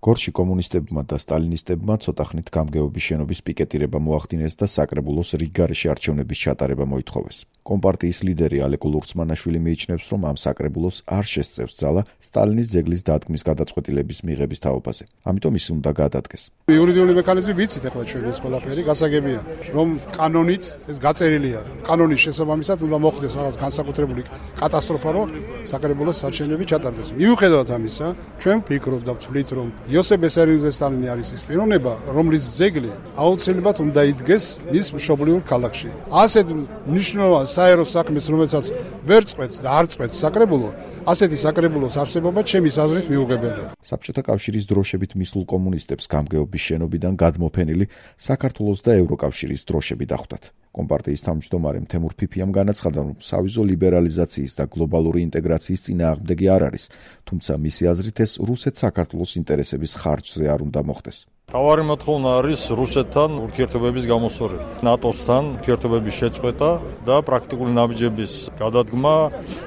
გორში კომუნისტებმა და სტალინისტებმა ცოტა ხნით გამგეობის შენობის პიკეტირება მოახდინეს და საკრებულოს რიგ გარეშე არჩევნების ჩატარება მოითხოვეს. კომპარტიის ლიდერი ალეკო ლურცმანაშვილი მიიჩნევს, რომ ამ საკრებულოს არ შესწევს ძალა სტალინის ძეგლის დადგმის გადაწყვეტილების მიღების თაობაზე. ამიტომ ის უნდა გადადგეს. იურიდიული მექანიზმი ვიცით ახლა ჩვენ ეს ყველაფერი გასაგებია, რომ კანონით ეს გაწერილია. კანონის შესაბამისად უნდა მოხდეს რაღაც განსაკუთრებული კატასტროფა, რომ საკრებულოს არჩევნები ჩატარდეს. მიუხედავად ამისა, ჩვენ ვფიქრობთ და ვთვლით, რომ იოსებ ბესარიოზე სტალინი არის ის პიროვნება, რომლის ძეგლი აუცილებლად უნდა იდგეს მის მშობლიურ ქალაქში. ასეთ მნიშვნელოვან საერო საქმეს, რომელსაც ვერ წყვეტს და არ წყვეტს საკრებულო, ასეთი საკრებულოს არსებობა ჩემის აზრით მიუღებელია. საბჭოთა კავშირის დროშებით მისულ კომუნისტებს გამგეობის შენობიდან გადმოფენილი საქართველოს და ევროკავშირის დროშები დახვდათ. კომპარტიის თავმჯდომარემ თემურ ფიფიამ განაცხადა, რომ სავიზო ლიბერალიზაციის და გლობალური ინტეგრაციის წინააღმდეგი არ არის, თუმცა მისი აზრით ეს რუსეთ-საქართველოს ინტერესების ხარჯზე არ უნდა მოხდეს. თავარი მოთხოვნა არის რუსეთთან ურთიერთობების გამოსწორება, ნატოსთან ურთიერთობების შეწყვეტა და პრაქტიკული ნაბიჯების გადადგმა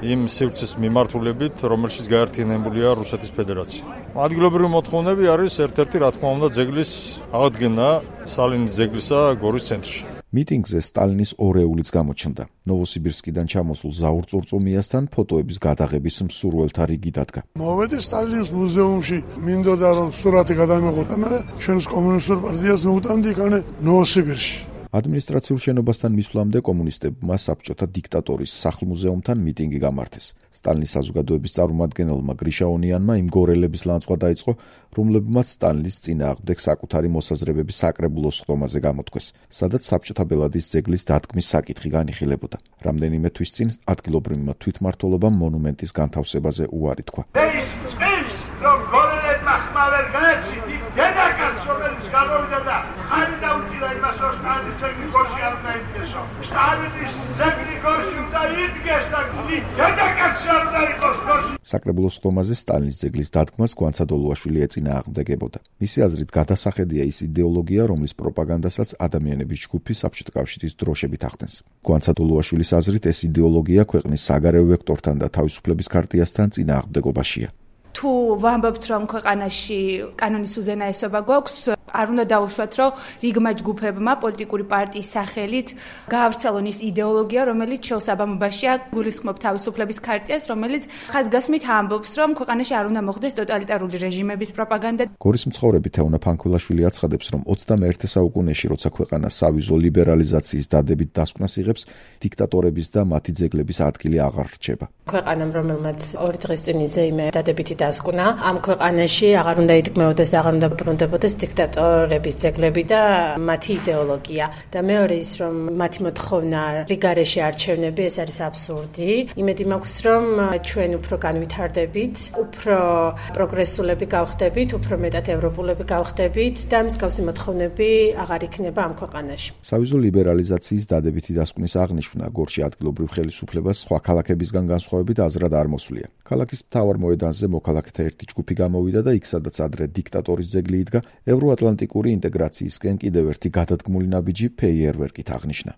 იმ სივრცის მიმართულებით, რომელშიც გაერთიანებულია რუსეთის ფედერაცია. ადგილობრივი მოთხოვნები არის ერთ-ერთი, რა თქმა უნდა, ძეგლის აღდგენა, სტალინის ძეგლისა გორის ცენტრში. მიტინგზე სტალინის ორეულიც გამოჩნდა. ნოვოსიბირსკიდან ჩამოსულ ზაურ წურწუმიასთან ფოტოების გადაღების მსურველთა რიგი დადგა. მოვედი სტალინის მუზეუმში, მინდოდა რომ სურათი გადამეღოთ, მაგრამ ჩვენს კომუნისტურ პარტიას მოვუტანდი იქანე ნოვოსიბირში. ადმინისტრაციულ შენობასთან მისვლამდე კომუნისტებმა საბჭოთა დიქტატორის სახლ-მუზეუმთან მიტინგი გამართეს. სტალინის საზოგადოების წარმომადგენელმა გრიშა ონიანმა იმ გორელების ლანძღვა დაიწყო, რომლებმაც სტალინის წინააღმდეგ საკუთარი მოსაზრებების საკრებულოს ხდომაზე გამოთქვეს, სადაც საბჭოთა ბელადის ძეგლის დადგმის საკითხი განიხილებოდა. რამდენიმე თვის წინ ადგილობრივმა თვითმმართველობამ მონუმენტის განთავსებაზე უარი თქვა. რომ გორელებმა ხმალერ გაეცით იქ დედაკაც, რომელიც გამოვიდა და ხარი დაუჭირა იმას, რომ სტალინის ძეგლი გორში არ უნდა იდგესო. სტალინის ძეგლი გორში უნდა იდგეს და დედაკაცი არ უნდა იყოს გორში. საკრებულოს ხდომაზე სტალინის ძეგლის დადგმას გვანცადოლუაშვილი ეწინააღმდეგებოდა. მისი აზრით გადასახედია ის იდეოლოგია, რომლის პროპაგანდასაც ადამიანების ჯგუფი საბჭოთა კავშირის დროშებით ახდენს. გვანცადოლუაშვილის აზრით ეს იდეოლოგია ქვეყნის საგარეო ვექტორთან და თავისუფლების ქარტიასთან წინააღმდეგობაშია. თუ ვამბობთ, რომ ქვეყანაში კანონის უზენაესობა გვაქვს, არ უნდა დაუშვათ, რომ რიგმა ჯგუფებმა პოლიტიკური პარტიის სახელით გაავრცელონ ის იდეოლოგია, რომელიც შეუსაბამობაშია გულისხმობ თავისუფლების ქარტიას, რომელიც ხაზგასმით ამბობს, რომ ქვეყანაში არ უნდა მოხდეს ტოტალიტარული რეჟიმების პროპაგანდა. გორის მცხოვრები თეონა ფანქველაშვილი აცხადებს, რომ 21 საუკუნეში, როცა ქვეყანა სავიზო ლიბერალიზაციის დადებით დასკვნას იღებს, დიქტატორების და მათი ძეგლების ადგილი აღარ რჩება. ქვეყანამ, რომელმაც 2 დღის წინ იზეიმე დადებითი დასკვნა, ამ ქვეყანაში აღარ უნდა იდგმეოდეს და აღარ უნდა ბრუნდებოდეს დიქტატორების ძეგლები და მათი იდეოლოგია. და მეორე ის, რომ მათი მოთხოვნა რიგარეშე არჩევნები, ეს არის აბსურდი. იმედი მაქვს, რომ ჩვენ უფრო განვითარდებით, უფრო პროგრესულები გავხდებით, უფრო მეტად ევროპულები გავხდებით და მსგავსი მოთხოვნები აღარ იქნება ამ ქვეყანაში. სავიზო ლიბერალიზაციის დადებითი დასკვნის აღნიშვნა გორში ადგილობრივ ხელისუფლებას სხვა ქალაქებისგან განსხვავებით აზრად არ მოსვლია. ქალაქის მთავარ მოედანზე მოქალაქეთა ერთი ჯგუფი გამოვიდა და იქ, სადაც ადრე დიქტატორის ძეგლი იდგა, ევროატლანტიკური ინტეგრაციისკენ კიდევ ერთი გადადგმული ნაბიჯი ფეიერვერკით აღნიშნა.